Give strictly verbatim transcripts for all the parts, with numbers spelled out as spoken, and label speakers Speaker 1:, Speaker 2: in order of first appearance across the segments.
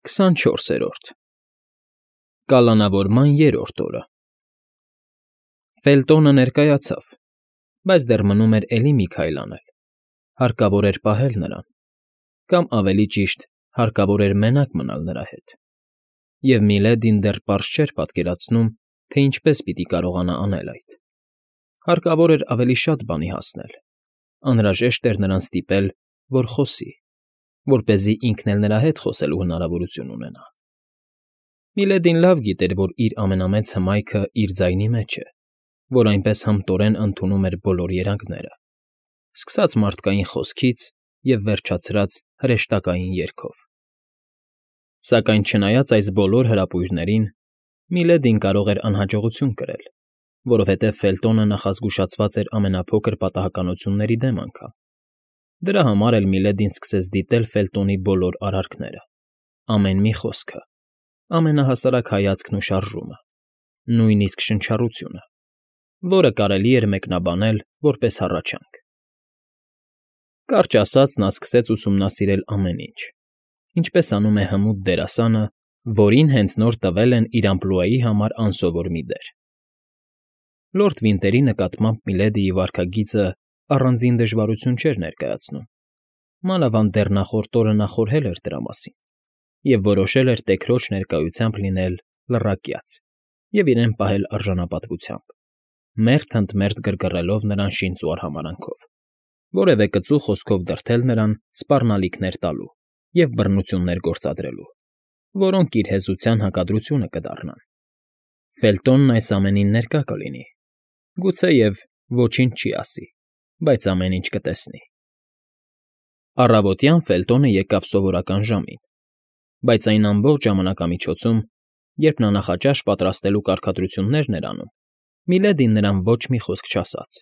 Speaker 1: Քսանչորսերորդ Կալանավորման երրորդ օրը Ֆելտոնը ներկայացավ, բայց դեռ մնում էր էլի մի քայլ անել, հարկավոր էր պահել նրան, կամ ավելի ճիշտ, հարկավոր էր մենակ մնալ նրա հետ, և Միլեդին դեռ պարզ չէր պատկերացնում, թե ինչպես պիտի կարողանա անել այդ. հարկավոր էր ավելի շատ բանի հասնել, անհրաժեշտ էր նրան ստիպել, որ խոսի, որպեսզի ինքն էլ նրա հետ խոսելու հնարավորություն ունենա։ Միլեդին լավ գիտեր, որ իր ամենամեծ հմայքը իր ձայնի մեջ է, որ այնպես հմտորեն ընդունում էր բոլոր երանգները, սկսած մարդկային խոսքից և վերջացրած հրեշտակային երգով։ Սակայն չնայած այս բոլոր հրապույրներին, Միլեդին կարող էր անհաջողություն կրել, որովհետև Ֆելտոնը նախազգուշացված էր ամենափոքր պատահականությունների դեմ անգամ։ Դրա համար էլ Միլեդին սկսեց դիտել Ֆելտոնի բոլոր արարքները, ամեն մի խոսքը, ամենահասարակ հայացքն ու շարժումը, նույնիսկ շնչառությունը, որը կարելի էր մեկնաբանել որպես հառաչանք։ Կարճ ասած, նա սկսեց ուսումնասիրել ամեն ինչ, ինչպես անում է հմուտ դերասանը, որին հենց նոր տվել են իր ամպլուայի համար անսովոր մի դեր։ Լորդ Վինտերի նկատմամբ Միլեդիի վարքագիծը առանձին դժվարություն չէր ներկայացնում, մանավանդ դեռ նախորդ օրը նա խորհել էր դրա մասին և որոշել էր տեքրոջ ներկայությամբ լինել լռակյաց և իրեն պահել արժանապատվությամբ, մերթ ընդ մերթ գրգռելով նրան շինծ ու արհամարհանքով, որևէ կծու խոսքով դրդել նրան սպառնալիքներ տալու և բռնություններ գործադրելու, որոնք իր հեզության հակադրությունը կդառնան։ Ֆելտոնն այս ամենին ներկա կլինի, գուցեև ոչինչ չի ասի, բայց ամեն ինչ կտեսնի։ Առավոտյան Ֆելտոնը եկավ սովորական ժամին, բայց այն ամբողջ ժամանակամիջոցում, երբ նա նախաճաշ պատրաստելու կարգադրություններն էր անում, Միլեդին նրան ոչ մի խոսք չասաց։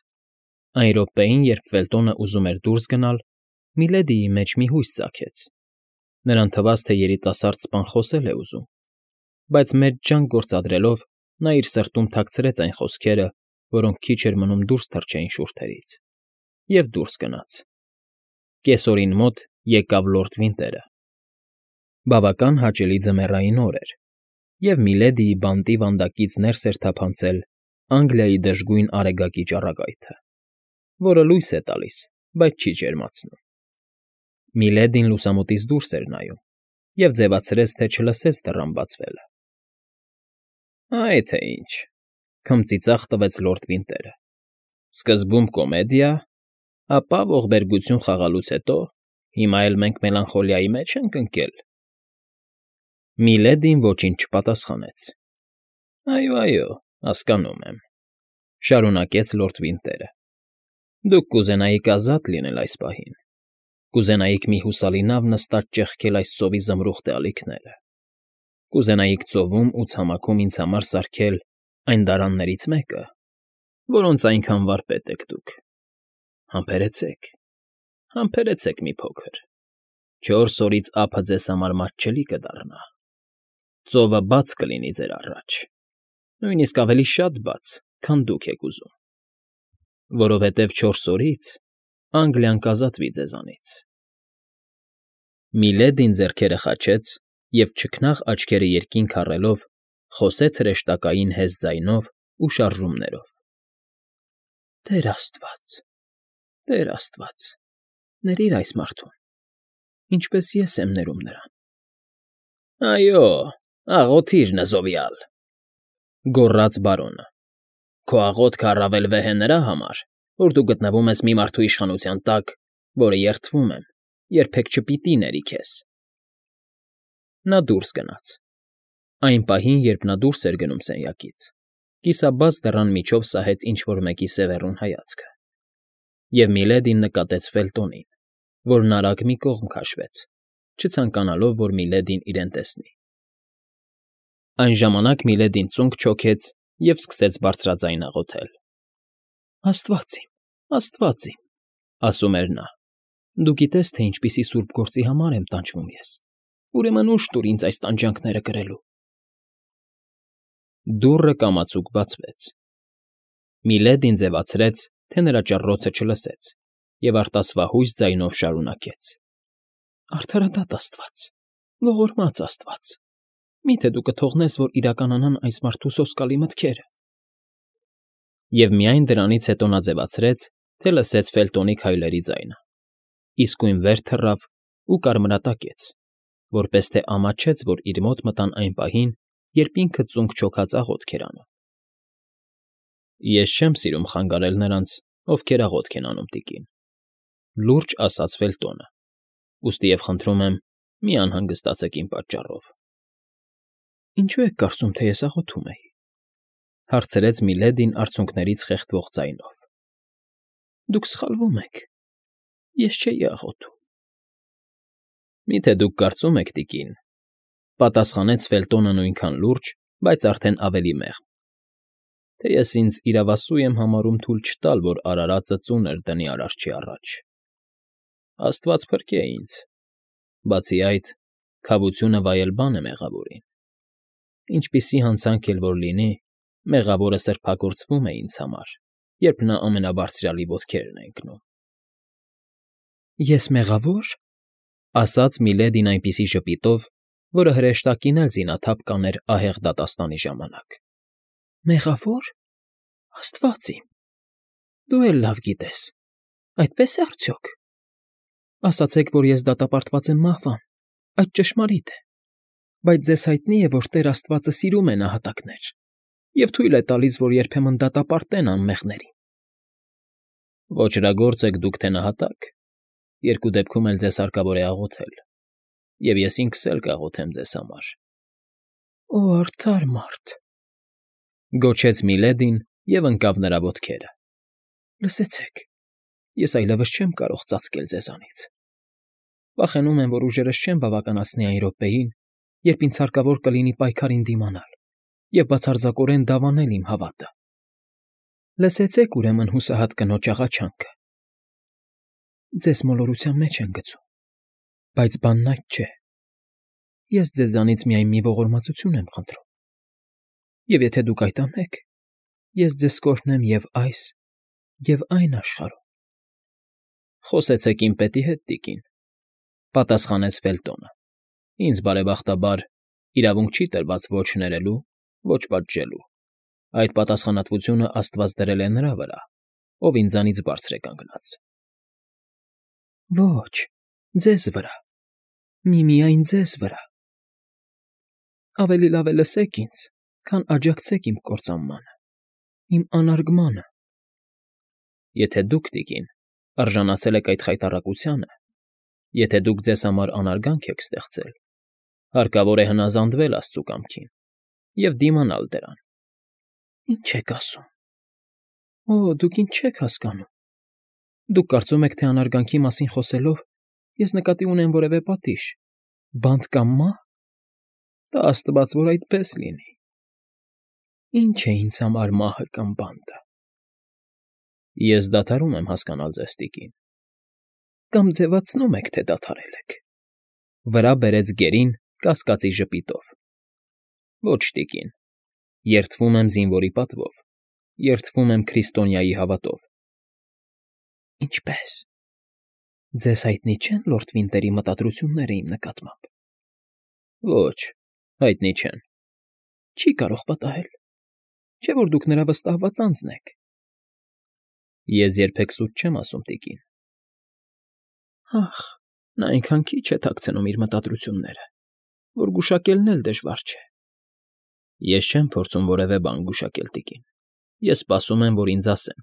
Speaker 1: Այն րոպեին, երբ Ֆելտոնը ուզում էր դուրս գնալ, Միլեդիի մեջ մի հույս ծագեց. նրան թվաց, թե երիտասարդ սպան խոսել է ուզում, բայց մեծ ջանք գործադրելով նա իր սրտում թաքցրեց այն խոսքերը, որոնք քիչ էր մնում դուրս թռչեին շուրթերից, և դուրս գնաց։ Կեսօրին մոտ եկավ լորդ Վինտերը։ Բավական հաճելի ձմեռային օր էր, և Միլեդիի բանտի վանդակից ներս էր թափանցել Անգլիայի դժգույն արեգակի ճառագայթը, որը լույս է տալիս, բայց չի ջերմացնում։ Միլեդին լուսամուտից դուրս էր նայում և ձևացրեց, թե չլսեց դռան բացվելը։ «Այ թե ինչ,֊ քմծիծաղ տվեց լորդ Վինտերը,֊ սկզբում կոմեդիա, ապա ողբերգություն խաղալուց հետո հիմա էլ մենք մելանխոլիայի մեջ ենք ընկել»։ Միլեդին ոչինչ չպատասխանեց։ «Այո, այո, հասկանում եմ,֊ շարունակեց լորդ Վինտերը,֊ դուք կուզենայիք ազատ լինել այս պահին, կուզենայիք մի հուսալի նավ նստած ճեղքել այս ծովի զմրուխտե ալիքները, կուզենայիք ծովում ու ցամաքում ինձ համար սարքել այն դարաններից մեկը, որոնց այնքան վարպետ եք դուք։ Համբերեցեք, համբերեցեք մի փոքր, չորս օրից ափը ձեզ համար մատչելի կդառնա, ծովը բաց կլինի ձեր առաջ, նույնիսկ ավելի շատ բաց, քան դուք եք ուզում, որովհետև չորս օրից Անգլիան կազատվի ձեզանից»։ Միլեդին ձեռքերը խաչեց և չքնաղ աչքերը երկինք առելով խոսեց հրեշտակային հեզ ձայնով ու շարժումներով. «Տեր աստված, Տեր աստված, ներիր այս մարդուն, ինչպես ես եմ ներում նրան»։ «Այո, աղոթիր, նզովյալ,֊ գոռաց բարոնը,֊ քո աղոթքը առավել վեհ է նրա համար, որ դու գտնվում ես մի մարդու իշխանության տակ, որը, երդվում եմ, երբեք չպիտի ների քեզ»։ Նա դուրս գնաց։ Այն պահին, երբ նա դուրս էր գնում սենյակից, կիսաբաց դռան միջով սահեց ինչ֊որ մեկի սևեռուն հայացքը, և Միլեդին նկատեց Ֆելտոնին, որն արագ մի կողմ քաշվեց, չցանկանալով, որ Միլեդին իրեն տեսնի։ Այն ժամանակ Միլեդին ծունկ չոքեց և սկսեց բարձրաձայն աղոթել. «Աստված իմ, աստված իմ,֊ ասում էր նա,֊ դու գիտես, թե ինչպիսի սուրբ գործի համար եմ տանջվում ես, ուրեմն ուժ տուր ինձ այս տանջանքները կրելու»։ Դուռը կամացուկ բացվեց։ Միլեդին ձևացրեց, թե նրա ճռռոցը չլսեց, և արտասվահույս ձայնով շարունակեց. «Արդարադատ աստված, Ողորմած աստված, մի՞թե դու կթողնես, որ իրականանան այս մարդու սոսկալի մտքերը։ Եվ միայն դրանից հետո նա ձևացրեց, թե լսեց Ֆելտոնի քայլերի ձայնը, իսկույն վեր թռավ ու կարմրատակեց, որպես թե ամաչեց, որ իր մոտ մտան այն պահին, երբ ինքը ծունկ չոքած աղոթք էր անում։ Ես չեմ սիրում խանգարել նրանց, ովքեր աղոթք են անում, տիկին, լուրջ ասաց Ֆելտոնը, ուստի և խնդրում եմ, մի անհանգստացեք իմ պատճառով։ Ինչո՞ւ եք կարծում, թե ես աղոթում էի, հարցրեց Միլեդին արցունքներից խեղդվող ձայնով։ Դուք սխալվում եք, ես չէի աղոթում։ Մի՞թե դուք կարծում եք, տիկին, պատասխանեց Ֆելտոնը նույնքան լուրջ, բայց արդեն ավելի մեղմ, թե ես ինձ իրավասու եմ համարում թույլ չտալ, որ արարածը ծունր դնի Արարչի առաջ։ Աստված փրկե ինձ։ Բացի այդ, քավությունը վայել բան է մեղավորին։ Ինչպիսի հանցանք էլ որ լինի, մեղավորը սրբագործվում է ինձ համար, երբ նա ամենաբարձրյալի ոտքերն է ընկնում։ Ես մեղավո՞ր, ասաց Միլեդին այնպիսի ժպիտով, որը հրեշտակին էլ զինաթափ կաներ ահեղ դատաստանի ժամանակ։ Մեղավո՞ր, աստված իմ, դու էլ լավ գիտես, այդպե՞ս է արդյոք։ Ասացեք, որ ես դատապարտված եմ մահվան, այդ ճշմարիտ է, բայց ձեզ հայտնի է, որ Տեր Աստվածը սիրում է նահատակներ և թույլ է տալիս, որ երբեմն դատապարտեն անմեղներին։ Ոճրագործ եք դուք թե նահատակ, երկու դեպքում էլ ձեզ հարկավոր է աղոթել, և ես ինքս էլ կաղոթեմ ձեզ համար։ Օ, արդար մարդ, գոչեց Միլեդին և ընկավ նրա ոտքերը։ Լսեցեք, ես այլևս չեմ կարող ծածկել ձեզանից։ Վախենում եմ, որ ուժերս չեմ բավականացնի այն րոպեին, երբ ինձ հարկավոր կլինի պայքարին դիմանալ և բացարձակորեն դավանել իմ հավատը։ Լսեցեք, ուրեմն, հուսահատ կնոջ աղաչանքը։ Ձեզ մոլորության մեջ են գցում, բայց բանն այդ չէ։ Ես ձեզանից միայն մի ողորմածություն եմ խնդրում, և եթե դուք այդ անեք, ես ձեզ կօրհնեմ և այս, և այն աշխարհում։ Խոսեցեք իմ պետի հետ, տիկին, պատասխանեց Ֆելտոնը։ Ինձ, բարեբախտաբար, իրավունք չի տրված ոչ ներելու, ոչ պատժելու։ Այդ պատասխանատվությունը աստված դրել է նրա վրա, ով ինձանից բարձր է կանգնած։ Ոչ, ձեզ վրա, միմիայն ձեզ վրա։ Ավելի լավ է լսեք ինձ, քան աջակցեք իմ կործանմանը, իմ անարգմանը։ Եթե դուք, տիկին, արժանացել եք այդ խայտառակությանը, եթե դուք ձեզ համար անարգանք եք ստեղծել, հարկավոր է հնազանդվել աստծու կամքին և դիմանալ դրան։ Ինչ եք ասում։ Օ, դուք ինչ չեք հասկանում։ Դուք կարծում եք, թե անարգանքի մասին խոսելով ես նկատի ունեմ որևէ պատիժ, բանտ կամ մահ։ Տա աստված, որ այդպես լինի։ Ինչ է ինձ համար մահը կամ բանտը։ Ես դադարում եմ հասկանալ ձեզ, տիկին։ Կամ ձևացնում եք, թե դադարել եք, վրա բերեց գերին կասկածի ժպիտով։ Ոչ, տիկին, երդվում եմ զինվորի պատվով, երդվում եմ քրիստոնյայի հավատով։ Ինչպե՞ս։ Ձեզ հայտնի չե՞ն լորդ Վինտերի մտադրությունները իմ նկատմամբ։ Ոչ, հայտնի չեն։ Չի կարող պատահել, չէ՞ որ դուք նրա վստահված անձն եք։ Ես երբեք սուտ չեմ ասում, տիկին։ Ախ, նա այնքան քիչ է թաքցնում իր մտադրությունները, որ գուշակելն էլ դժվար չէ։ Ես չեմ փորձում որևէ բան գուշակել, տիկին, ես սպասում եմ, որ ինձ ասեն։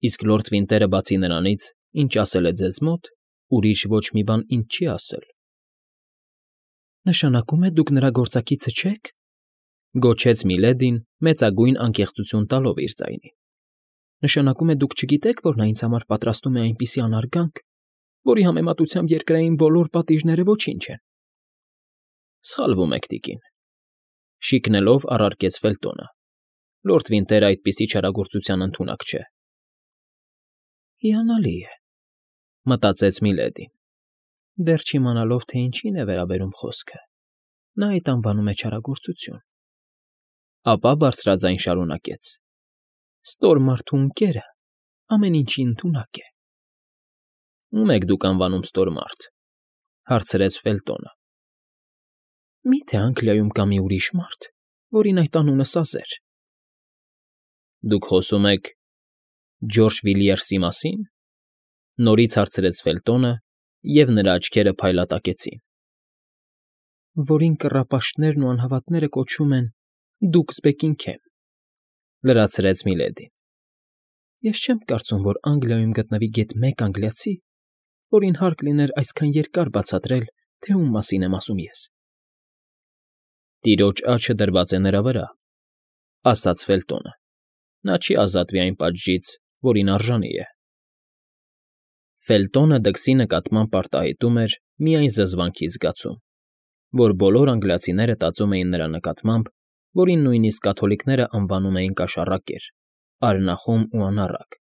Speaker 1: Իսկ լորդ Վինտերը, բացի նրանից, ինչ ասել է ձեզ մոտ, ուրիշ ոչ մի բան ինձ չի ասել։ Նշանակում է, դուք նրա գործակիցը չեք, գոչեց Միլեդին, մեծագույն անկեղծություն տալով իր ձայնին։ Նշանակում է, դուք չգիտեք, որ նա ինձ համար պատրաստում է այնպիսի անարգանք, որի համեմատությամբ երկրային բոլոր պատիժները ոչինչ են։ Սխալվում եք, տիկին, շիկնելով առարկեց Ֆելտոնը։ Լորդ Վինտերը այդպիսի չարագործության ընդունակ չէ։ Հիանալի է, մտածեց Միլեդին, դեռ չիմանալով, թե ինչին է վերաբերում խոսքը, նա այդ անվանում է չարագործություն։ Ապա բարձրաձայն շարունակեց. Ստոր մարդու ընկերը ամեն ինչի ընդունակ է։ Ո՞ւմ եք դուք անվանում ստոր մարդ, հարցրեց Ֆելտոնը։ Մի՞թե Անգլիայում կա մի ուրիշ մարդ, որին այդ անունը սազեր։ ֊ Դուք խոսում եք Ջորջ Վիլյերսի մասի՞ն,֊ նորից հարցրեց Ֆելտոնը, և նրա աչքերը փայլատակեցին։ ֊ Որին կռապաշտներն ու անհավատները կոչում են Դուկս Բեքինգհեմ,֊ լրացրեց Միլեդին։ ֊ Ես չեմ կարծում, որ Անգլիայում գտնվի գեթ մեկ անգլիացի, որին հարկ լիներ այսքան երկար բացատրել, թե ում մասին եմ ասում ես։ ֊ Տիրոջ աջը դրված է նրա վրա,֊ ասաց Ֆելտոնը։֊ Նա չի ազատվի այն պատժից, որին արժանի է։ Ֆելտոնը դքսի նկատմամբ արտահայտում էր միայն զզվանքի զգացում, որ բոլոր անգլիացիները տածում էին նրա նկատմամբ, որին նույնիսկ կաթոլիկները անվանում էին կաշառակեր, արյունախոհ ու անառակ,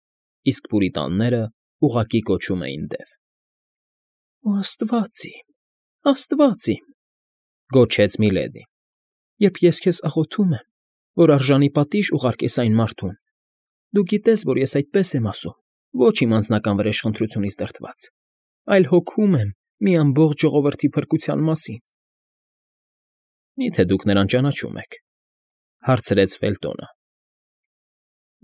Speaker 1: իսկ պուրիտանները ուղղակի կոչում էին դև։ ֊ Օ աստված իմ, աստված իմ,֊ գոչեց Միլեդին, երբ ես քեզ աղոթում եմ, որ արժանի պատիժ ուղարկես այն մարդուն, դու գիտես, որ ես այդպես եմ ասում ոչ իմ անձնական վրեժխնդրությունից դրդված, այլ հոգում եմ մի ամբողջ ժողովրդի փրկության մասին։ ֊ Մի՞թե դուք նրան ճանաչում եք,֊ հարցրեց Ֆելտոնը։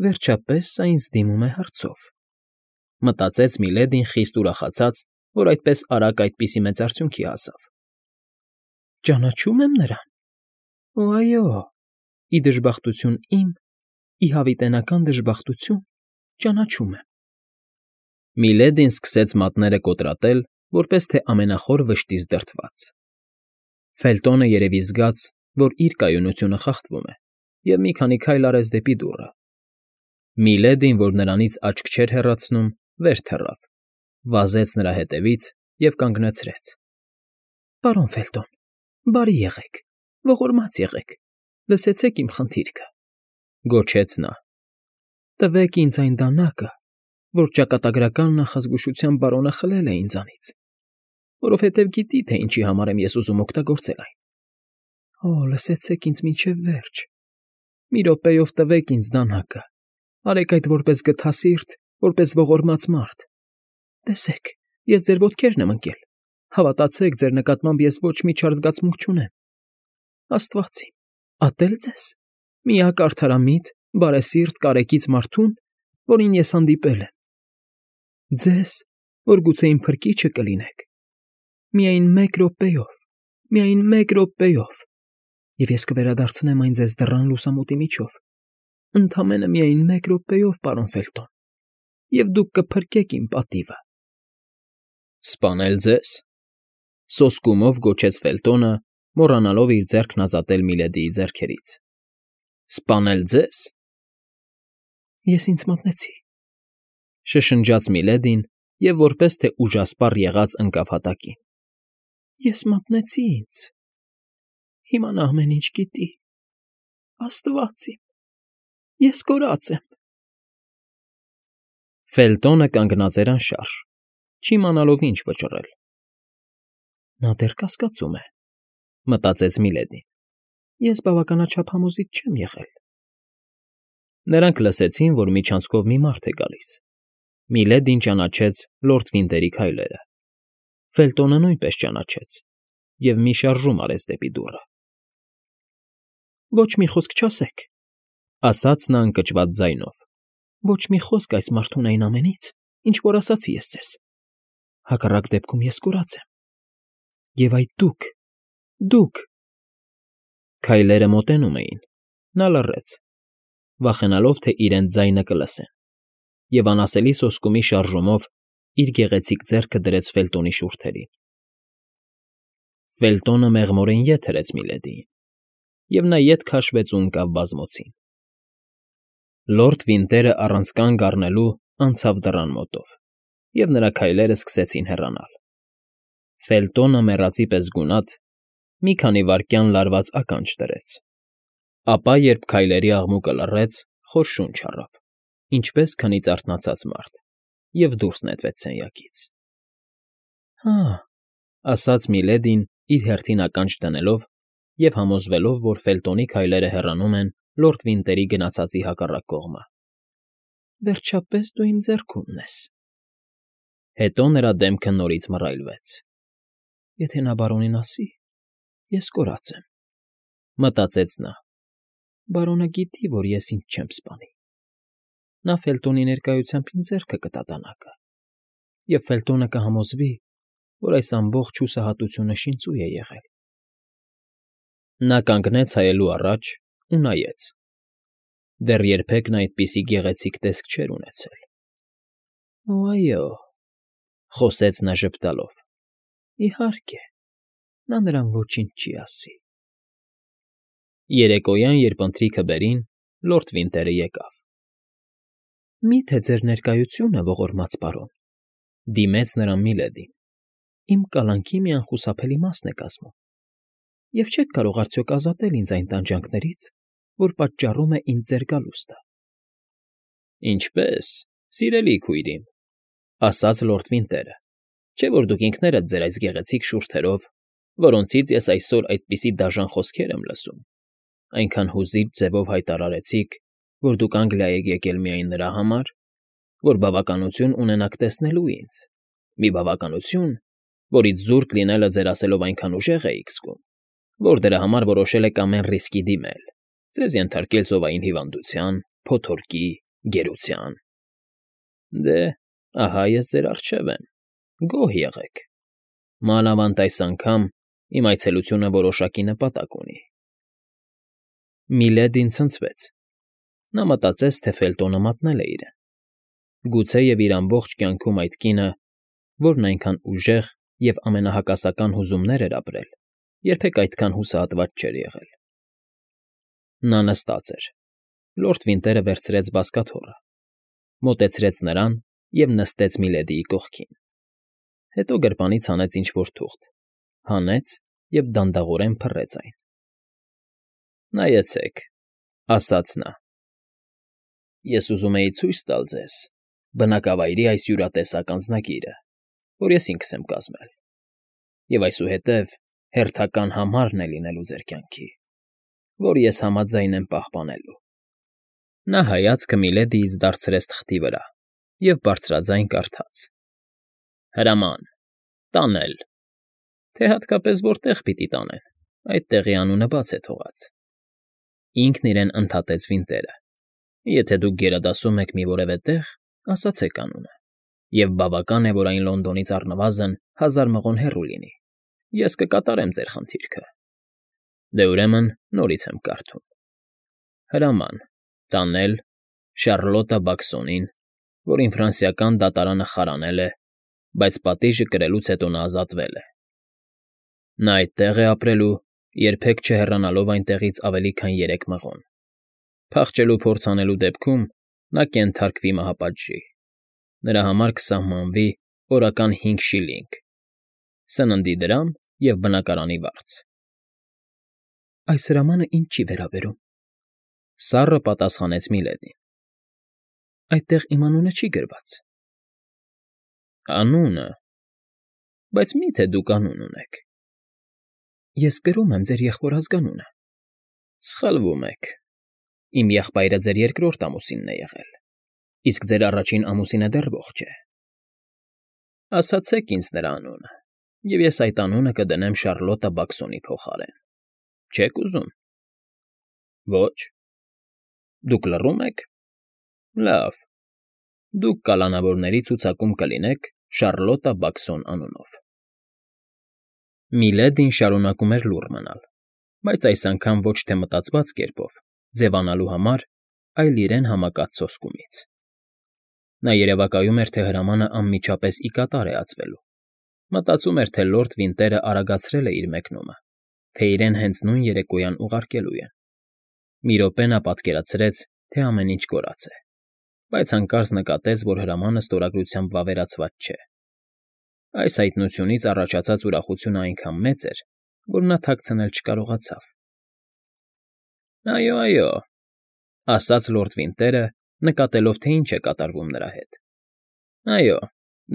Speaker 1: Վերջապես սա ինձ դիմում է հարցով,֊ մտածեց Միլեդին խիստ ուրախացած, որ այդպես արագ այդպիսի մեծ արդյունքի հասավ։ ֊ Ճանաչո՞ւմ եմ նրան։ Օ, այո, ի դժբախտություն իմ, ի հավիտենական դժբախտություն, ճանաչում եմ։ Միլեդին սկսեց մատները կոտրատել, որպես թե ամենախոր վշտից դրդված։ Ֆելտոնը երևի զգաց, որ իր կայունությունը խախտվում է, և մի քանի քայլ արեց դեպի դուռը։ Միլեդին, որ նրանից աչք չէր հեռացնում, վեր թռավ, վազեց նրա հետևից և կանգնացրեց։ ֊ Պարոն Ֆելտոն, բարի եղեք, ողորմած եղեք, լսեցեք իմ խնդիրքը,֊ գոչեց նա։ ֊ Տվեք ինձ այն դանակը, որ ճակատագրական նախազգուշության բարոնը խլել է ինձանից, որովհետև գիտի, թե ինչի համար եմ ես ուզում օգտագործել այն։ Օ, լսեցեք ինձ մինչև վերջ, մի րոպեով տվեք ինձ դանակը, արեք այդ որպես գթասիրտ, որպես ողորմած մարդ։ Տեսեք, ես ձեր ոտքերն եմ ընկել, հավատացեք, ձեր նկատմամբ ես ոչ մի չար զգացմունք չունեմ։ Աստված իմ, ատե՞լ ձեզ, միակ արդարամիտ, բարեսիրտ, կարեկից մարդուն, որին ես հանդիպել եմ։ Ձեզ, որ գուցե իմ փրկիչը կլինեք։ Միայն մեկ րոպեով, միայն մեկ րոպեով, և ես կվերադարձնեմ այն ձեզ դռան լուսամուտի միջով, ընդամենը միայն մեկ րոպեով, պարոն Ֆելտոն, և դուք կփրկեք իմ պատիվը։ ֊ Սպանե՞լ ձեզ,֊ սոսկումով գոչեց Ֆելտոնը, մոռանալով իր ձեռքն ազատել Միլեդիի ձեռքերից։ ֊ Սպանե՞լ ձեզ։ ֊ Ես ինձ մատնեցի,֊ շշնջաց Միլեդին և որպես թե ուժասպառ եղած ընկավ հատակին։ ֊ Ես մատնեցի ինձ… Հիմա նա ամեն ինչ գիտի… Աստված իմ… Ես կորած եմ… Ֆելտոնը կանգնած էր անշարժ, չիմանալով ինչ վճռել։ «Նա դեռ կասկածում է,֊ մտածեց Միլեդին։֊ Ես բավականաչափ համոզիչ չեմ եղել»։ Նրանք լսեցին, որ միջանցքով մի մարդ է գալիս։ Միլեդին ճանաչեց լորդ Վինտերի քայլերը։ Ֆելտոնը նույնպես ճանաչեց և մի շարժում արեց դեպի դուռը։ ֊ Ոչ մի խոսք չասեք,֊ ասաց նա ընկճված ձայնով,֊ ոչ մի խոսք այս մարդուն այն ամենից, ինչ որ ասացի ես ձեզ… Հակառակ դեպքում ես կորած եմ… Եվ այդ դուք… դուք… Քայլերը մոտենում էին, նա լռեց, վախենալով, թե իրենց ձայնը կլսեն, և անասելի սոսկումի շարժումով իր գեղեցիկ ձեռքը դրեց Ֆելտոնի շուրթերին։ Ֆելտոնը մեղմորեն ետ հրեց Միլեդիին, և նա ետ քաշվեց ու ընկավ բազմոցին։ Լորդ Վինտերը առանց կանգ առնելու անցավ դռան մոտով, և նրա քայլերը սկսեցին հեռանալ։ Ֆելտոնը, մեռածի պես գունատ, մի քանի վայրկյան լարված ականջ դրեց, ապա, երբ քայլերի աղմուկը լռեց, խոր շունչ առավ, ինչպես քնից արթնացած մարդ, և դուրս նետվեց սենյակից։ ֊ Հա՜,֊ ասաց Միլեդին իր հերթին ականջ դնելով և համոզվելով, որ Ֆելտոնի քայլերը հեռանում են լորդ Վինտերի գնացածի հակառակ կողմը։ ֊ Վերջապես դու իմ ձեռքումն ես… Հետո նրա դեմքը նորից մռայլվեց։ ֊ Եթե նա բարոնին ասի, Ես կորած եմ, մտածեց նա։ Բարոնը գիտի, որ ես ինձ չեմ սպանի։ Նա Ֆելտոնի ներկայությամբ ինձ ձեռքը կտա դանակը, և Ֆելտոնը կհամոզվի, որ այս ամբողջ հուսահատությունը շինծու է եղել։ Նա կանգնեց հայելու առաջ ու նայեց. դեռ երբեք նա այդպիսի գեղեցիկ տեսք չէր ունեցել։ ֊ Օ, այո,֊ խոսեց նա ժպտալով,֊ իհարկե, նա նրան ոչինչ չի ասի։ Երեկոյան, երբ ընթրիքը բերին, լորդ Վինտերը եկավ։ ֊ Մի՞թե ձեր ներկայությունը, ողորմած պարոն,֊ դիմեց նրան Միլեդին,֊ իմ կալանքի մի անխուսափելի մասն է կազմում, և չեք կարող արդյոք ազատել ինձ այն տանջանքներից, որ պատճառում է ինձ ձեր գալուստը։ ֊ Ինչպե՞ս, սիրելի քույր իմ,֊ ասաց լորդ Վինտերը,֊ չէ՞ որ դուք ինքներդ ձեր այս գեղեցիկ շուրթերով, որոնցից ես այսօր այդպիսի դաժան խոսքեր եմ լսում, այնքան հուզիչ ձևով հայտարարեցիք, որ դուք Անգլիա եք եկել միայն նրա համար, որ բավականություն ունենաք տեսնելու ինձ, մի բավականություն, որից զուրկ լինելը ձեր ասելով այնքան ուժեղ էիք զգում, որ դրա համար որոշել եք ամեն ռիսկի դիմել, ձեզ ենթարկել ծովային հիվանդության, փոթորկի, գերության։ Դե, ահա ես ձեր առջև եմ, գոհ եղեք, մանավանդ այս անգամ իմ այցելությունը որոշակի նպատակ ունի։ Միլեդին ցնցվեց։ Նա մտածեց, թե Ֆելտոնը մատնել է իրեն։ Գուցեև իր ամբողջ կյանքում այդ կինը, որն այնքան ուժեղ և ամենահակասական հուզումներ էր ապրել, երբեք այդքան հուսահատված չէր եղել։ Նա նստած էր։ Լորդ Վինտերը վերցրեց բազկաթոռը, մոտեցրեց նրան և նստեց Միլեդիի կողքին։ Հետո գրպանից հանեց ինչ֊որ թուղթ, հանեց և դանդաղորեն փռեց այն։ ֊ Նայեցեք,֊ ասաց նա,֊ ես ուզում էի ցույց տալ ձեզ բնակավայրի այս յուրատեսակ անձնագիրը, որ ես ինքս եմ կազմել, և այսուհետև հերթական համարն է լինելու ձեր կյանքի, որ ես համաձայն եմ պահպանելու։ Նա հայացքը Միլեդիից դարձրեց թղթի վրա և բարձրաձայն կարդաց. Հրաման. տանել, թե հատկապես որտեղ պիտի տանեն, այդ տեղի անունը բաց է թողած։ Ինքն իրեն ընդհատեց Վինտերը. եթե դուք գերադասում եք մի որևէ տեղ, ասացեք անունը, և բավական է, որ այն Լոնդոնից առնվազն հազար մղոն հեռու լինի, ես կկատարեմ ձեր խնդիրքը։ Դե, ուրեմն, նորից եմ կարդում. Հրաման. տանել Շառլոտա Բաքսոնին, որին ֆրանսիական դատարանը խարանել է, բայց պատիժը կրելուց հետո նա ազատվել է։ Նա այդտեղ է ապրելու, երբեք չհեռանալով այնտեղից ավելի քան երեք մղոն։ Փախչելու փորձ անելու դեպքում նա կենթարկվի մահապատժի, նրա համար կսահմանվի օրական հինգ շիլինգ, սննդի դրամ և բնակարանի վարձ։ Այս հրամանը ինձ չի վերաբերում,֊ սառը պատասխանեց Միլեդին։ Այդտեղ իմ անունը չի գրված։ Անունը… Բայց մի՞թե դուք անուն ունեք։ Ես կրում եմ ձեր եղբոր ազգանունը։ Սխալվում եք, իմ եղբայրը ձեր երկրորդ ամուսինն է եղել, իսկ ձեր առաջին ամուսինը դեռ ողջ է։ Ասացեք ինձ նրա անունը, և ես այդ անունը կդնեմ Շառլոտա Բաքսոնի փոխարեն, չե՞ք ուզում։ Ոչ։ Դուք լռում եք։ Լավ, դուք կալանավորների ցուցակում կլինեք Շառլոտա Բաքսոն անունով։ Միլեդին շարունակում էր լուռ մնալ, բայց այս անգամ ոչ թե մտածված կերպով, ձևանալու համար, այլ իրեն համակած սոսկումից։ Նա երևակայում էր, թե հրամանը անմիջապես ի կատար է ածվելու, մտածում էր, թե լորդ Վինտերը արագացրել է իր մեկնումը, թե իրեն հենց նույն երեկոյան ուղարկելու են։ Մի րոպե նա պատկերացրեց, թե ամեն ինչ կորած է, բայց հանկարծ նկատեց, որ հրամանը ստորագրությամբ վավերացված չէ։ Այս հայտնությունից առաջացած ուրախությունը այնքան մեծ էր, որ նա թաքցնել չկարողացավ։ ֊ Այո, այո,֊ ասաց լորդ Վինտերը, նկատելով, թե ինչ է կատարվում նրա հետ։ ֊ Այո,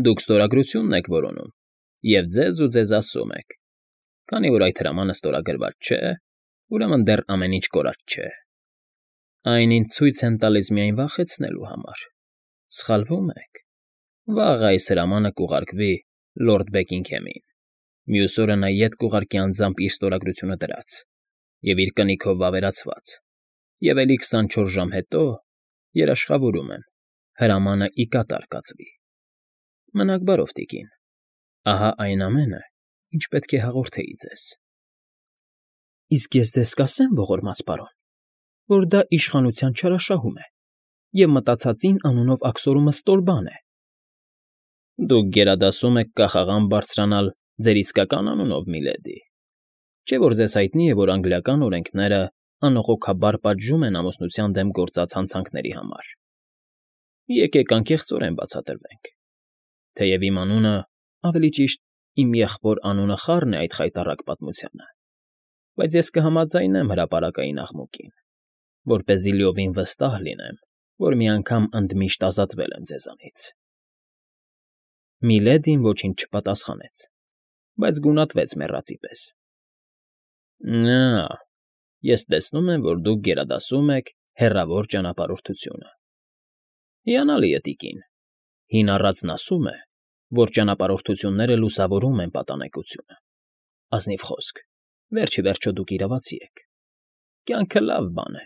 Speaker 1: դուք ստորագրությունն եք որոնում և ձեզ ու ձեզ ասում եք. քանի որ այդ հրամանը ստորագրված չէ, ուրեմն դեռ ամեն ինչ կորած չէ։ Այն ինձ ցույց են տալիս միայն վախեցնելու համար։ Սխալվում եք, վաղը այս հրամանը կուղարկվի լորդ Բեքինգհեմին, Մյուս օրը նա ետ կուղարկի անձամբ իր ստորագրությունը դրած և իր կնիքով վավերացված, և էլի քսանչորս ժամ հետո, երաշխավորում եմ, հրամանը ի կատար կացվի։ Մնաք բարով, տիկին, ահա այն ամենը, ինչ պետք է հաղորդեի ձեզ։ Իսկ ես ձեզ կասեմ, ողորմած պարոն, որ դա իշխանության չարաշահում է, և մտածածին անունով աքսորումը ստոր բան է։ Դուք գերադասում եք կախաղան բարձրանալ ձեր իսկական անունով, միլեդի, չէ՞ որ ձեզ հայտնի է, որ անգլիական օրենքները անողոքաբար պատժում են ամուսնության դեմ գործած հանցանքների համար։ Եկեք անկեղծորեն բացատրվենք։ Թեև իմ անունը, ավելի ճիշտ, իմ եղբոր անունը խառն է այդ խայտառակ պատմությանը, բայց ես կհամաձայնեմ հրապարակային աղմուկին, որպեսզի լիովին վստահ լինեմ, որ մի անգամ ընդմիշտ ազատվել եմ ձեզանից։ Միլեդին ոչինչ չպատասխանեց, բայց գունատվեց մեռածի պես։ Նա, ես տեսնում եմ, որ դուք գերադասում եք հեռավոր ճանապարհորդությունը։ Հիանալի է, տիկին, հին առածն ասում է, որ ճանապարհորդությունները լուսավորում են պատանեկությունը։ Ազնիվ խոսք, վերջ ի վերջո դուք իրավացի եք։ Կյանքը լավ բան է,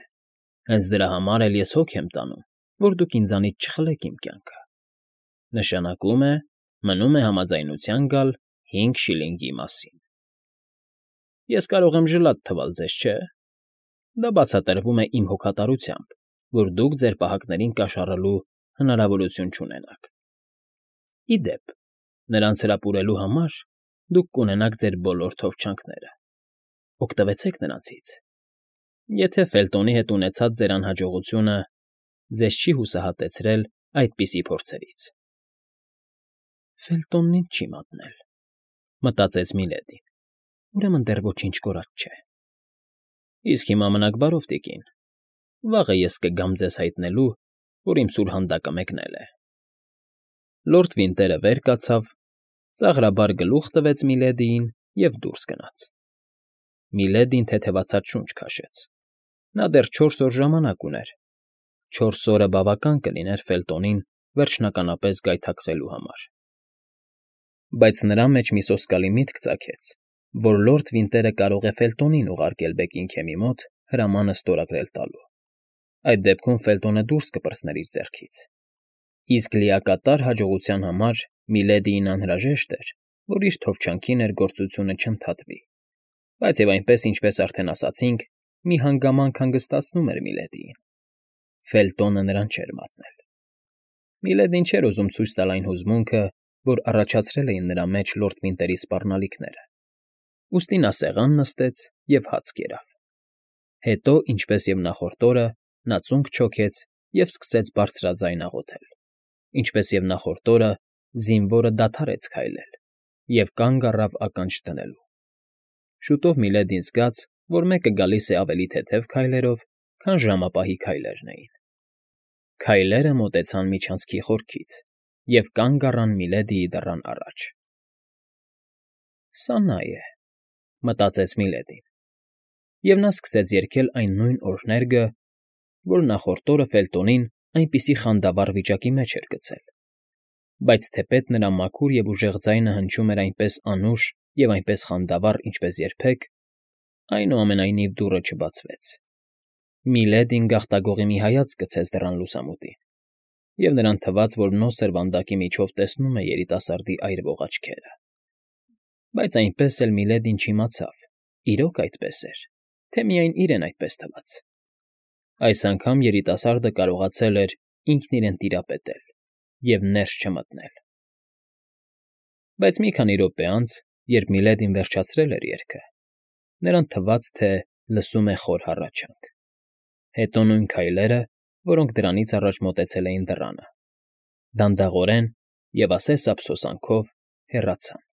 Speaker 1: հենց դրա համար էլ ես հոգ եմ տանում, որ դուք ինձանից չխլեք իմ կյանքը։ Նշանակում է, մնում է համաձայնության գալ հինգ շիլինգի մասին։ Ես կարող եմ ժլատ թվալ ձեզ, չէ՞։ Դա բացատրվում է իմ հոգատարությամբ, որ դուք ձեր պահակներին կաշառելու հնարավորություն չունենաք։ Ի դեպ, նրանց հրապուրելու համար դուք կունենաք ձեր բոլոր թովչանքները։ Օգտվեցեք նրանցից։ Եթե Ֆելտոնի հետ ունեցած ձեր անհաջողությունը ձեզ չի հուսահատեցրել այդպիսի փորձերից։ Ֆելտոնն ինձ չի մատնել, մտածեց Միլեդին, ուրեմն դեռ ոչինչ կորած չէ։ Իսկ հիմա մնաք բարով, տիկին, վաղը ես կգամ ձեզ հայտնելու, որ իմ սուրհանդակը մեկնել է։ Լորդ Վինտերը վեր կացավ, ծաղրաբար գլուխ տվեց Միլեդիին և դուրս գնաց։ Միլեդին թեթևացած շունչ քաշեց։ Նա դեռ չորս օր ժամանակ ուներ։ Չորս օրը բավական կլիներ Ֆելտոնին վերջնականապես գայթակղելու համար։ Բայց նրա մեջ մի սոսկալի միտք ծագեց, որ լորդ Վինտերը կարող է Ֆելտոնին ուղարկել Բեքինգհեմի մոտ հրամանը ստորագրել տալու։ Այդ դեպքում Ֆելտոնը դուրս կպրծներ իր ձեռքից։ Իսկ լիակատար հաջողության համար Միլեդիին անհրաժեշտ էր, որ իր թովչանքի ներգործությունը չընդհատվի։ Բայց և այնպես, ինչպես արդեն ասացինք, մի հանգամանք հանգստացնում էր Միլեդիին։ Ֆելտոնը նրան չէր մատնել։ Միլեդին չէր ուզում ցույց տալ այն հուզմունքը, որ առաջացրել էին նրա մեջ լորդ Վինտերի սպառնալիքները։ Ուստի նա սեղան նստեց և հաց կերավ։ Հետո, ինչպես և նախորդ օրը, նա ծունկ չոքեց և սկսեց բարձրաձայն աղոթել։ Ինչպես և նախորդ օրը, զինվորը դադարեց քայլել և կանգ առավ ականջ դնելու։ Շուտով Միլեդին զգաց, որ մեկը գալիս է ավելի թեթև քայլերով, քան ժամապահի քայլերն էին։ Քայլերը մոտեցան միջանցքի խորքից և կանգ առան Միլեդիի դռան առաջ։ «Սա նա է», մտածեց Միլեդին, և նա սկսեց երգել այն նույն օրհներգը, որ նախորդ օրը Ֆելտոնին այնպիսի խանդավառ վիճակի մեջ էր գցել։ Բայց թեպետ նրա մաքուր և ուժեղ ձայնը հնչում էր այնպես անուշ և այնպես խանդավառ, ինչպես երբեք, այնուամենայնիվ դուռը չբացվեց։ Միլեդին գաղտագողի մի հայացք գցեց դռան լուսամուտին, և նրան թվաց, որ նոսր վանդակի միջով տեսնում է երիտասարդի այրվող աչքերը։ Բայց այնպես էլ Միլեդին չիմացավ՝ իրոք այդպես էր, թե միայն իրեն այդպես թվաց։ Այս անգամ երիտասարդը կարողացել էր ինքն իրեն տիրապետել և ներս չմտնել։ Բայց մի քանի րոպե անց, երբ Միլեդին վերջացրել էր երգը, նրան թվաց, թե լսում է խոր հառաչանք։ Հետո նույն քայլերը, որոնք դրանից առաջ մոտեցել էին դռանը, դանդաղորեն և ասես ափսոսանքով հեռացան։